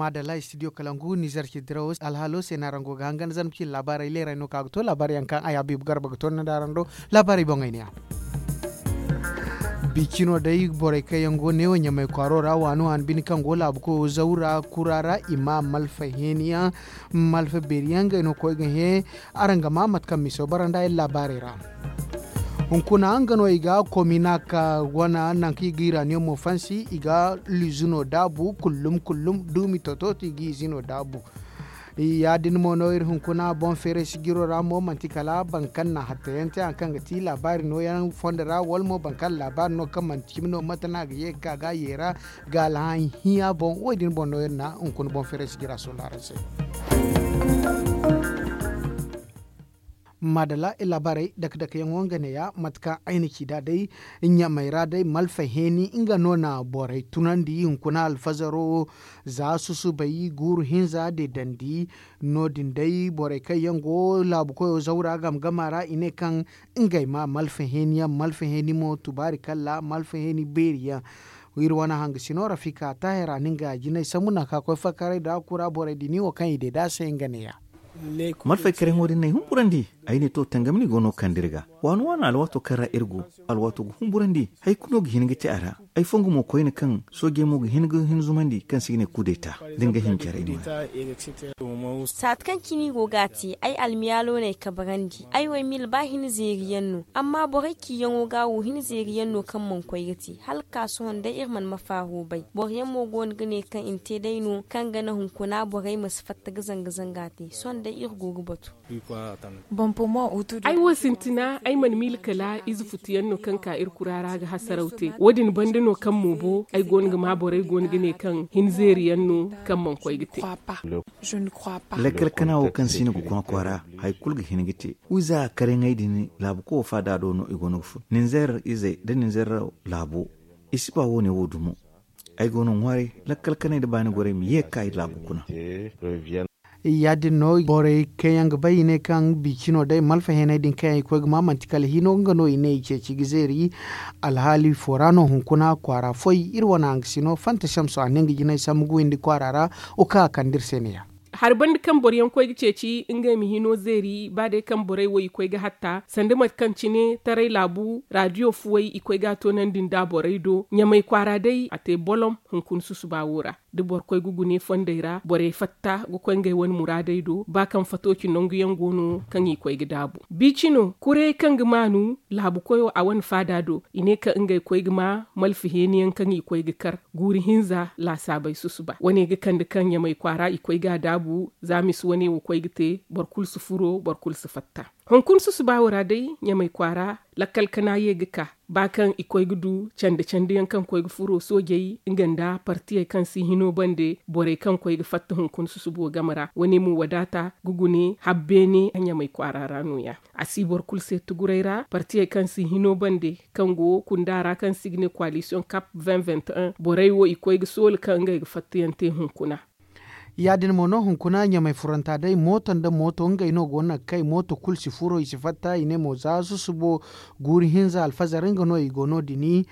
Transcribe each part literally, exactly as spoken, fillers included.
Maadalla studio kalangu nizer ci dirawo alhaalo se no araŋ go ga hangan zarma ci laabaarey leerey no kaŋ a ga to laabaarey yaŋ kaŋ ay habiibu garba ga to ni nd'araŋ do. Laabaarey boŋey ne ya. Bicino day borey kaŋ yaŋ go neewo ɲamay kwaaro ra waani waani bine kaŋ go laabu koyo zawra kura ra i ma malfa heeni yaŋ malfa beeri yaŋ ngey no koy ga hẽ. Araŋ ga maa mate kaŋ miso bara nda ay laabaarey ra. Hunkuna nga no i ga komina ka wana nangu kaŋ i ga iraniyomo fansi i ga lizuno daabu kullum kullum duumi tototi i ga izino daabu. Ya- din mo no iri hunkuna boŋ feeray sijiro ra mo manti kala boro kaŋ na hattayaŋ te hari kaŋ ga ti laabaari nooyaŋ fondo ra wala mo boro kaŋ laabaari no kaŋ manti cimi no mate no a ga ye ga ka ga a yeera ga alhaŋ hiya boŋ wo- din boŋ no iri na hunkuna boŋ feeray sijira sohõ araŋ se. Maadalla iri laabaarey dake dake yaŋo nga neeya mate kaŋ ay na ci nd'a day ɲamay ra day malfa heeni nga no na borey tunandi hunkuna alfazaro za susubay guuru hinza deedandi. No- din day borey kaŋ yaŋ go laabu koyo zawra game game a ra i ne kaŋ ngey ma malfa heeni yaŋ malfa heeni mo tubaari kalla malfa heeni beeri yaŋ. Iri wane hangasino rafika taahir a na nga jinay sambu nangu kaŋ a koy fakaray nda kura borey din wo kaŋ i deeda se nga neeya. Malfay karayaŋo din no ay humburandi. Ay ne to tangam no i go no ga kande iri ga waano waano alwaato kaŋ ra iri go alwaato ga humburandi. Hari kulu no ga hin ga te a ra. Ay fongu mo koyne kaŋ soojey mo ga hin ga hin zumandi kaŋ se i ga ne kudeta da nga hin care i no. Saati kaŋ cine i go ga a te ay almiyaalo no ay kabarandi. Ay wo ay miila ba hin zeeri yaŋ no amma borey ciyaŋo ga wo hin zeeri yaŋ no kaŋ mana koy ga te hala ga ka sohõ day iri mana ma faaro bay boro yaŋ mo go no ga ne kaŋ i na te day no kaŋ ga naŋ hunkuna borey ma si fatta ga zanga zanga te sohõ day iri go ga batu. Ay wo sintina ay mana miila kala ize futu yaŋ no kaŋ ka iri kura ra ga hasaraw te wo- din banda no kaŋ mo bo ay go no ga ma borey go no ga ne kaŋ hin zeeri yaŋ no kaŋ mana koy ga te. Lakkal kana wo kaŋ si no ga koŋ a kwaara hari kulu ga hin ga te wiiza karayaŋey din laabu koy wo faada do no i go no ga fun ninzeer izey nda ninzeer laabo. I si ba wo- ne wo dumo. Ay go no ŋwaaray lakkal kanay nda baani gorey ma ye ga ka iri laabu kuna. Ya- din no borey kaŋ yaŋ ga bay i ne kaŋ biicino day malfa heeney din kaŋ yaŋ i koy ga ma manti kala hino nga no i ne i ceeci ga zeeri. Alhaali fo ra no hunkuna kwaara foy iri wane hangasino fanta samso a ne nga jinay sambu ga windi kwaara ra wo kaŋ a kande iri se ne- ya. Hari banda kaŋ boro yaŋ koy ga ceeci ngey ma hino zeeri ba day kaŋ borey wo i koy ga hatta sanda mate kaŋ cine taray laabu raadiyo fuwey i koy ga a toonandi nda borey do ɲamay kwaara day a te bolom. Hunkuna susuba wo ra da boro koy ga gune fondey ra borey fatta ga koy ngey wane muraadey do ba kaŋ fatooci nangu yaŋ go no kaŋ i koy ga daabu biicino kurey kaŋ ga maanu laabu koyo a wane faada do i ne kaŋ ngey koy ga ma malfa heeni yaŋ kaŋ i koy ga kar guuri hinza laasaabey susuba wane ga kande kaŋ ɲamay kwaara i koy ga a daabu za misi wane wo koy ga te boro kulu si furo boro kulu si fatta. Hunkuna susuba wo ra day ɲamay kwaara lakkal kana ye ga ka ba kaŋ i koy ga du cande cande yaŋ kaŋ koy ga furo soojey nga nda partiyey kaŋ si hino bande borey kaŋ koy ga fatta hunkuna susubo game ra wane mo wadaata ga gune habbeene ɲamay kwaara ra nooya. A si boro kulu se tuguray ra partiyey kaŋ si hino bande kaŋ go kunda ra kaŋ si ga ne koalisiyoŋ kap vingt vingt un borey wo i koy ga soola kaŋ ngey ga fattayaŋ te hunkuna. Ya- din mo no hunkuna ɲamay furanta day mooto nda mooto ngey no go no ga kay mooto kulu si furo i si fatta i ne mo za susubo guuri hinza alfazar nga no i go no- din.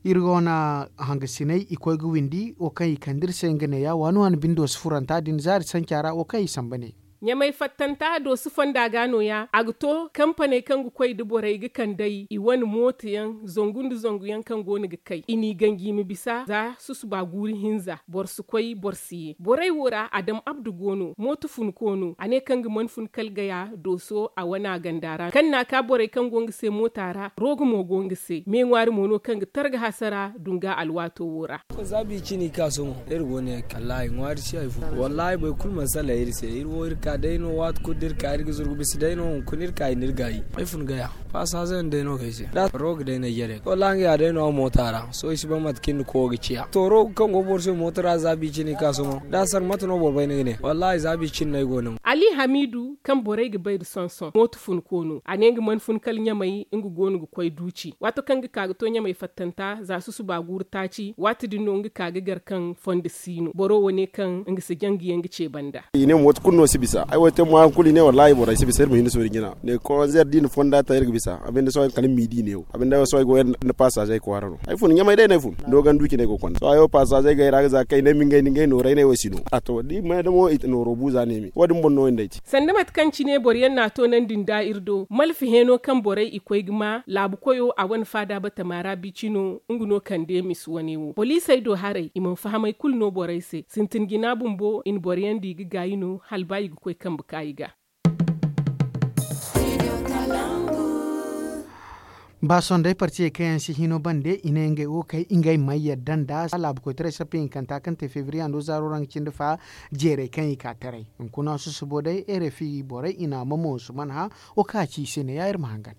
Iri go na hangasiney i koy ga windi wo kaŋ i kande iri se nga neeya waani waani bindo si furanta din zaari sanca ra wo kaŋ i samba ne. Ɲamay fattanta doosi fonda ga nooya a ga to kampaney kaŋ ga koy nda borey ga kand'ey i wane mooto yaŋ zangu nda zangu yaŋ kaŋ go no ga kay i n'i ganji i ma bisa za susuba guuri hinza boro si koy boro si ye borey wo ra adam abdu go no mooto funko no a ne kaŋ ga mana fun kala gaya dooso a wana ganda ra kaŋ n'a ka borey kaŋ go nga se moota ra rooga mo go nga se meeŋwaari mo no kaŋ ga targa hasara dunga alwaato wo ra. Za biicini ka sohõ iri go ne kallaahi ŋwaari si hay fo wallaahi boro kulu mana salaŋ iri se iri wo iri ka day no waati kulu da iri ka iri ga zuru ga bisa day no hunkuna iri ka i na iri gaayi ay fun gaya. Faasa hazayaŋ day no ga ay se da roga day no ay jare wallaahi nga ya day no a moota ra sohõ i si bay mate kaŋ iri na koyo ga ciya to roga kaŋ go boro se moota ra za biicini ka sohõ da a sar mate no boro bay ni ga ne wallaahi za biicini no ay go no. Ali hamiidu kaŋ borey ga bay nda sonson mooto funko no a ne nga mana fun kala ɲamay nga go no ga koy duuci waato kaŋ nga ka ga to ɲamay fattanta za susuba guuru taaci waati din no nga ka ga gar kaŋ fondo si no boro wo ne kaŋ nga si jangu yaŋ ga ce banda. I ne mooto kulu no si bisa ay wo te mo hari kulu i ne wallaahi borey si bisa iri ma hin da soori jina ne konzer da i na fonda ta iri ga bisa a binde sohõ kala miidi neewo a binde sohõ ay go yaŋ nda pasaazey kwaara no ay fun ɲamay day no ay fun doogan duuci no ay go ga konda sohõ ay wo pasaazey gay ra ga za kay ne ma ngey nda ngey nooray no ay wo si no a to da i ma ne da mo i nooro buuza neemi wo- din boŋ no ay nda ay te. Sanda mate kaŋ cine boro yaŋ na a toonandi nda iri do malfa heeno kaŋ borey i koy ga ma laabu koyo a wane faada batama ra bici no nga no kande misi wane wo poliisey do haray i mana fahamay kulu no borey se sintin jina bumbo i na boro yaŋ di ga gaayi no hala ba i ga koy kambe ka i ga. Ba sondey partiyey kaŋ yaŋ si hino bande i ne ngey wo kay ngey mana yadda nda laabu koytaray sappa hinkanta kaŋ te febriye hando zaaro ra nga cindi fa jeerey kaŋ i ka taray hunkuna susubo day rfi borey i na a mamo nsuman hã. Wo kaŋ a ci i se ne ya iri ma hangan.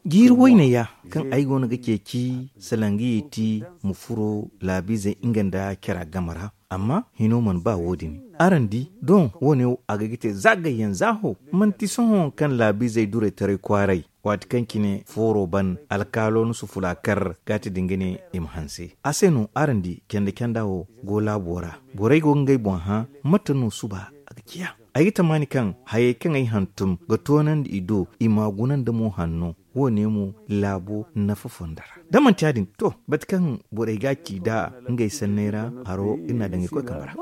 Jiiri wayne ya kaŋ ay go no ga ceeci salangiye ti ma furo laabiizey nga nda cara game ra. Amma hino mana ba wo- din araŋ di doŋ wo- ne wo a ga ga te za gayyaŋ za ho manti sohõ kaŋ laabiizey duray taray kwaaray waati kaŋ cine fooro ban alkaalo na sufula kar ga ti da nga ne i ma hanse a se no araŋ di canda canda wo go laabo ra. Borey go ga ngey boŋ hã mate no suba a ga ciya. Ay ga tamaani kaŋ hayey kaŋ ay hantum ga toonandi i do i ma a guna nda mo hanno wo- ne mo laabo nafa fonda ra da manti ya- din to mate kaŋ borey ga a ci nd'a ngey sanney ra haro iri na daŋ ga koy kambe ra.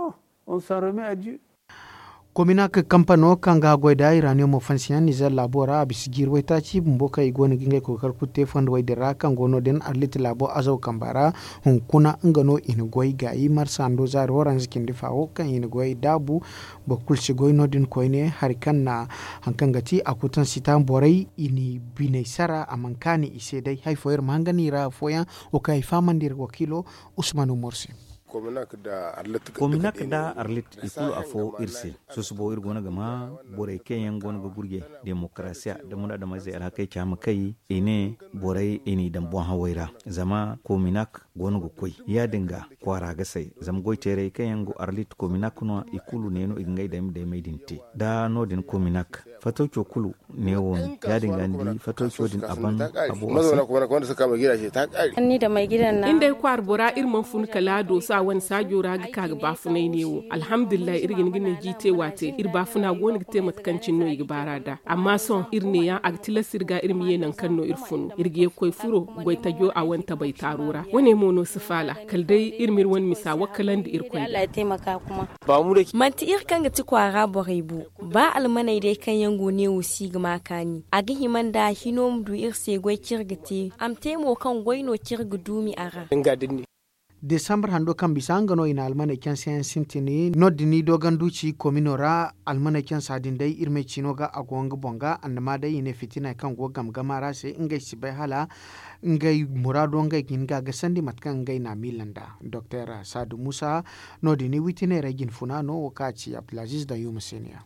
Kominak kampano kaŋ ga a goy nda iraniyomo fansiyaŋ nizer laabo ra a bisa jiiri waytaaci bumbo kaŋ i go no ga ngey koy ga kar kulu te fondo way din ra kaŋ go no- din arlit laabo azaw kamba ra. Hunkuna nga no i na goy gaayi marsa hando zaari waranza cindi fa wo kaŋ i na goy daabu boro kulu si goy no- din koyne hari kaŋ na hari kaŋ ga ti a kutan sita borey i n'i biney sara a mana kaani i se day hari fooyaŋ iri ma hangan i ra afooyaŋ wo kaŋ ay fahamandi iri wakiilo usman umar se. Kominak nda arlit i kulu afo iri se. Susubo iri go no ga ma borey kaŋ yaŋ go no ga gurjey demokarasiya nda muraadamizey alhakey caama kay i ne borey i n'i daŋ boŋ hawey ra zama kominak go no ga koy ya- din ga kwaara ga say zama goy teerey kaŋ yaŋ go arlit kominak no i kulu ne no i ga ngey daymey din te. Da no- din kominak fatawco kulu ne wo no ya- din ga ni di fatawco din a ban a boŋ a se. Iri day kwaara bora iri mana fun kala a dooso a wane saajo ra ga ka ga baafunay ne wo alhamdulillahi iri ga hin ga ne jiite waate iri baafuna go no ga te mate kaŋ cine no i ga baar'a nd'a. Amma sohõ iri neeyaŋ a ga tilas iri ga iri ma ye nangu kaŋ no iri funu iri ga ye ga koy furo goy tajo a wane tabay taaro ra wane mo no si faala kala day iri ma iri wane misa wakkalandi irkoy ga. Manti iri kaŋ ga ti kwaara borey bo. Ba almaney day kaŋ yaŋ go neewo si ga ma kaani a ga hima nda hino ma du iri se goy kaŋ iri ga te a ma te mo kaŋ goy no kaŋ iri ga duumi a ra. Desambar hando kaŋ bisa nga no i na almaney canse yaŋ sintin no- din i doogandu ci komino ra. Almaney cansa din day iri ma ay ciino ga a go nga boŋ ga annama day i ne fitina kaŋ go game game ra se ngey si bay hala ngey muraado ngey ga hin ga a gasandi mate kaŋ ngey na a miila nd'a. Doktor saadu muusa no- din i witineerey jinfuna no wo kaŋ a ci abdulaziiz dayyuma se ne ya.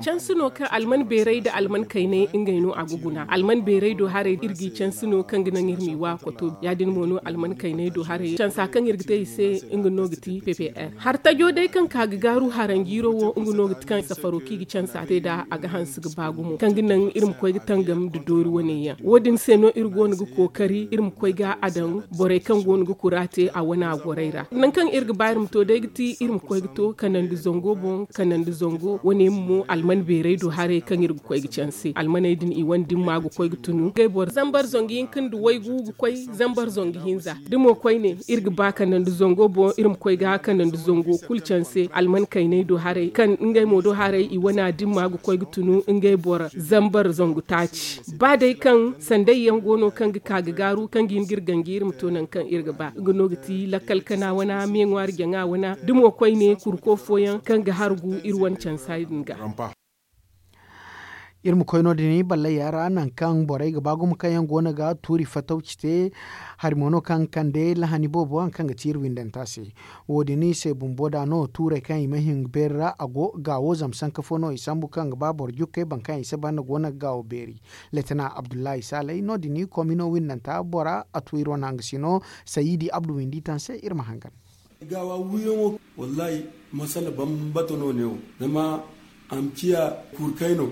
Cansi no kaŋ alman beeray nda alman kaynay ngey no a ga guna alman beeray do haray iri g'i cansi no kaŋ ga naŋ iri m'i wa koto ya- din mo no alman kaynay do haray cansa kaŋ iri ga te i se nga no ga ti ppr. Hartajo day kaŋ ka ga gaaru haranjiiro wo nga no ga ti kaŋ safaro kaŋ i ga cansa te nd'a a ga hanse ga ba gumo kaŋ ga naŋ iri ma koy ga tangam nda doori wane yaŋ wo- din se no iri go no ga kookari iri ma koy ga a daŋ borey kaŋ go no ga kura te a wane a gorey ra nangu kaŋ iri ga ba iri ma to day ga ti iri ma koy ga to kanandi zango boŋ kanandi zango wane mo alman beeray do haray kaŋ iri ga koy ga canse almaney din i wane dimma ga koy ga tunu ngey boro zambar zangu hinka nda waygu ga koy zambar zangu hinza da mo koyne iri ga ba kanandi zango boŋ iri ma koy ga kanandi zango kulu canse alman kaynay do haray kaŋ ngey mo do haray i wana dimma ga koy ga tunu ngey boro zambar zangu taaci ba day kaŋ sanday yaŋ go no kaŋ ga ka ga gaaru kaŋ ga hin ga iri ganji iri ma to nangu kaŋ iri ga ba nga no ga ti lakkal kana wana meeŋwaari jaŋa wana da mo koyne kurko fooyaŋ kaŋ ga hargu iri wane cansa din ga. Iri ma koy no- din balley ya ra nangu kaŋ borey ga ba gumo kaŋ yaŋ go no ga tuuri fatawci te hari mo no kaŋ ga kande lahani boobo hari kaŋ ga ti iri windanta se. Wo- din se bumbo da no tuurey kaŋ i ma hin ga beeri ra a go gaawo zama sanka fo no i sambu kaŋ ga ba boro jukkey boro kaŋ i si banda go no ga gaawo beeri. Letena abdullahi saley no- din komino windanta bora a tu iri wane hangasino sayidi abdu windi taŋ se iri ma hangan. Gaawa wiiyaŋo, wallahi, masala bambata no neewo. Zama a ma ciya kurkay no.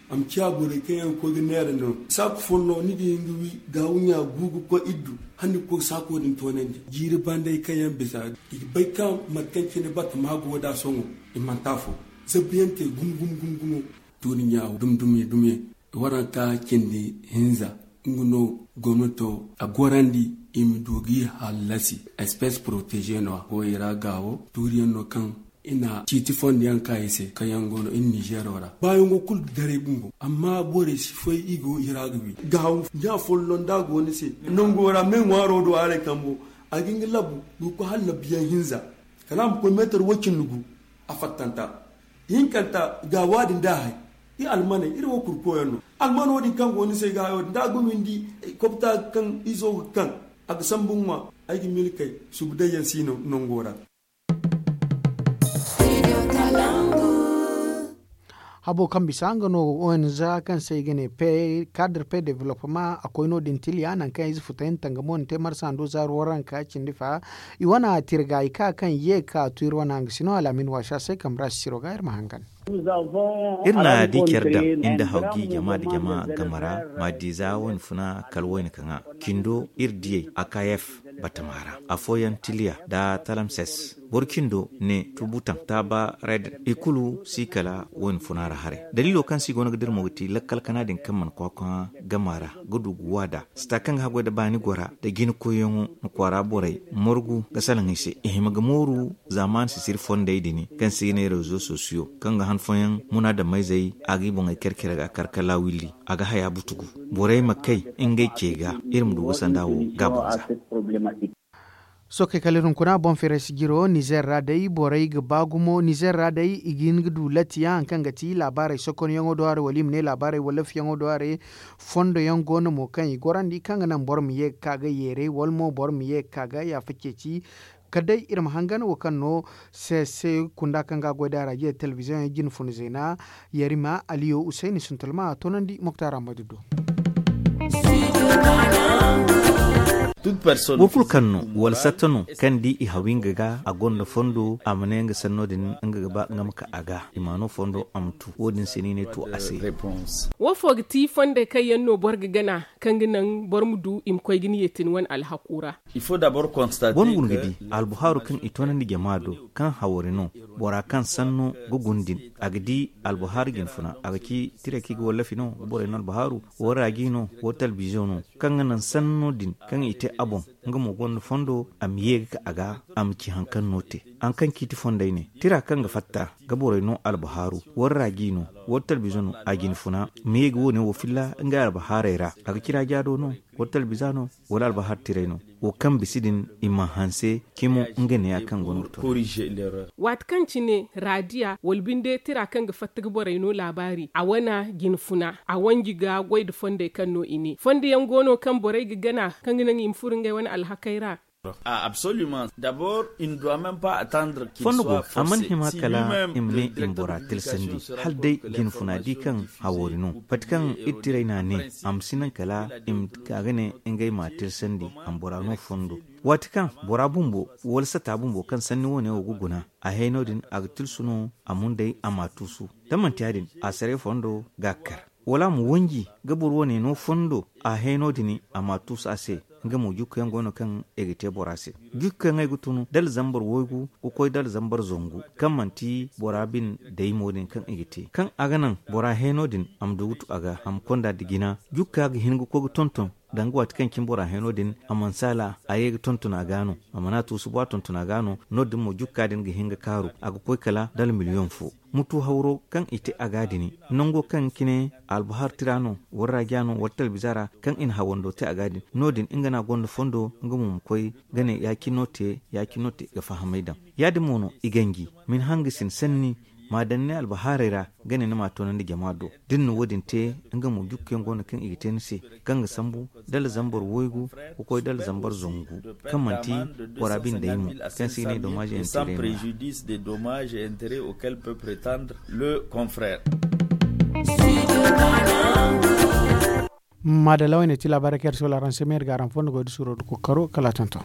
A ma ciya borey kaŋ yaŋ ga koy ga neera no. Saaku follo ni ga hin ga wi gaawu ɲa gu ga koy iddu. Hala ni ga koy ga saako din toonandi jiiri banday kaŋ yaŋ bisa i ga bay kaŋ mate kaŋ cine batama go nd'a sohõ. I manti afo. Zabbiyaŋ te gum gum gum gumo. Tuuri ɲa dum dum dum yaŋ. Waranka cindi hinza nga no gomnato a gorandi. I ma du ga i hallasi. Espèce protégée no a go i ra gaawo tuuriyaŋ no kaŋ i na ciiti fondo yaŋ ka i se kaŋ yaŋ go no iri nizeero ra. Baayaŋo kulu ga daray bumbo amma borey si fay i go i ra ga wi gaawo ɲa folloŋ da a go ni se. Nango ra me ŋwaaro do haray kambo a ga hin ga labu ga koy hala labuyaŋ hinza. Kala a ma koy meetar way-cindi gu a fattanta. Hinkanta gaawa din da a hay. I almaney iri wo kurkoyaŋ no. Almano din kaŋ go ni se ga hayo din da a ga windi kobta kaŋ izo ga kaŋ a ga sambu ŋwa. Ay ga milkey subu day yaŋ si no nango ra. Habo kaŋ bisa nga no ong kaŋ se i ga ne cadre pe development a koy no- din tiliya nangu kaŋ ize futay na tangamo na te marsa ndo zaaru waranka cindi fa. I wane tirga i ka kaŋ ye ga ka tu iri wane hangasino al'amin waasa se kambe ra sisiro ga iri ma hangan. Iri na di care daŋ nda hawgi jama nda jama game ra. Ma di za wayna funa kala wayna kaŋa cindo iri diyey a ka yef batama ra afooyaŋ tiliya nda talamses boro cindo ne tubu taŋ taaba red i kulu si kala wayna funa ra haray. Daliilo kaŋ se i go no ga dira mo ga ti lakkal kana din kaŋ mana kwaakwa game ra ga du ga waada sita kaŋ ga haggoy nda baani gora nda jina koyyaŋo na kwaara borey morgu ga salaŋ i se i hima ga mooru. Zaamaani sisiri fondey din kaŋ se i ga ne rezo sosiyo kaŋ ga han fooyaŋ munaadamayzey a ga i boŋey kar care ga kar kala willi a ga haya butugu borey ma kay ngey ce ga. Iri ma du ga sanda wo gaabo ga za. Sookey kala iri hunkuna boŋ feeray si jiro nizeer ra day borey ga ba gumo nizeer ra day i ga hin ga du latiya hari kaŋ ga ti laabaarey sokonyaŋo do haray wala i ma ne laabaarey wallafiyaŋo do haray. Fondo yaŋ go no mo kaŋ i gorandi kaŋ ga naŋ boro ma ye ga ka ga yeeray wala mo boro ma ye ga ka ga yaafa ceeci. Kala day iri ma hangan wo kaŋ no se se kunda kaŋ ga a goy da rajiya telebiziyoŋ yaŋ jine funa zeena. Yarima aliyo usayni suntulma a toonandi moktar ahmadu do. Boro kulu kaŋ no wala satta no kaŋ di i hawi nga ga a gonda fondo a ma ne nga sanno din nga ga ba nga ma ka a ga i ma no fondo a ma tu wo- din se no i ne tu a se. Wo fo ga ti fondey kaŋ yaŋ no boro ga gana kaŋ ga naŋ boro ma du i ma koy ga ni yeetin wane alhaku ra. Boro ma guna ga di albuhaaru kaŋ i toonandi jama do kaŋ hawari no bora kaŋ sanno ga guna din a ga di albuhaaru jinfuna a ga ci tiray kaŋ i ga wallafi no ga borey no albuhaaru. Wo raaji no wo talbizo no kaŋ ga naŋ sanno din kaŋ i te a boŋ nga mo gonda fondo a ma ye ga ka a ga a ma ci hari kaŋ no te. Hari kaŋ ciiti fondey ne tira kaŋ ga fatta ga borey no albuhaaru. Wo raaji no wo talbizo no a jinfuna ma ye ga wo- ne wo filla ngey albuhaarey ra a ga ci raaja do no wala talbiza no wala albahar tiray no. Wo kaŋ bisa din i ma hanse cimo nga neeya kaŋ go no ga to. Waati kaŋ cine raadiya wala binde tira kaŋ ga fatta ga borey no laabaari a wane jinfuna a wanji ga goy nda fondey kaŋ no i ne fondo yaŋ go no kaŋ borey ga gana kaŋ ga naŋ i ma furo ngey wane alhakey ra. Fondo go a mana hima kala i ma ne i ma bora tilsandi hala day jinfuna di kaŋ hawoori no pati kaŋ iri tiray n'a ne a ma si naŋ kala i ma ka ga ne ngey m'a tilsandi a ma bora no fondo. Waati kaŋ bora bumbo wala sata bumbo kaŋ sanni wo- ne wo ga guna a hay no- din a ga tilsu no a mundey a m'a tuusu. Da manti ya- din a saray fondo ga a kar wala a ma wanji ga boro wane no fondo a hay no- din a m'a tuusu a se. Nga mo jukka yaŋ go no kaŋ i ga te bora se jukka yaŋ ay ga tun dala zambar waygu ga koy dala zambar zangu kaŋ manti bora bine daymo din kaŋ i ga te kaŋ a ga naŋ bora heno din a ma du ga tu a ga a ma konda nda jina. Jukka ga hin ga koy ga tonton danga waati kaŋ cine bora heno din a mana saala a ye ga tonton a ga no a mana tuusu ba tonton a ga no. No- din mo jukka din ga hin ga kaaru a ga koy kala dala miliyoŋ fo. Mutu hawro kaŋ i te a ga din nango kaŋ cine albahar tira no wala raja no wala talbiza ra kaŋ i na hawando te a ga din no- din nga no a gonda fondo nga mo ma koy ga ne ya- cine no te ya- cine no te ga fahamay daŋ. Ya- din mo no i ganji ma ni hanga sin sanni ma a daŋ ni albahaarey ra ga ne ni m'a toonandi jama do. Da ni na wo- din te nga mo jukku yaŋ go no kaŋ i ga te ni se kaŋ ga sambu dala zambar waygu ga koy dala zambar zangu kaŋ manti bora bine day mo kaŋ se i ne domage intérêt no ya. Maadalla wayne ti laabaarey kaŋ iri si wala araŋ se ma iri ga araŋ fondo goy da suuro da kookaro kala a tonton.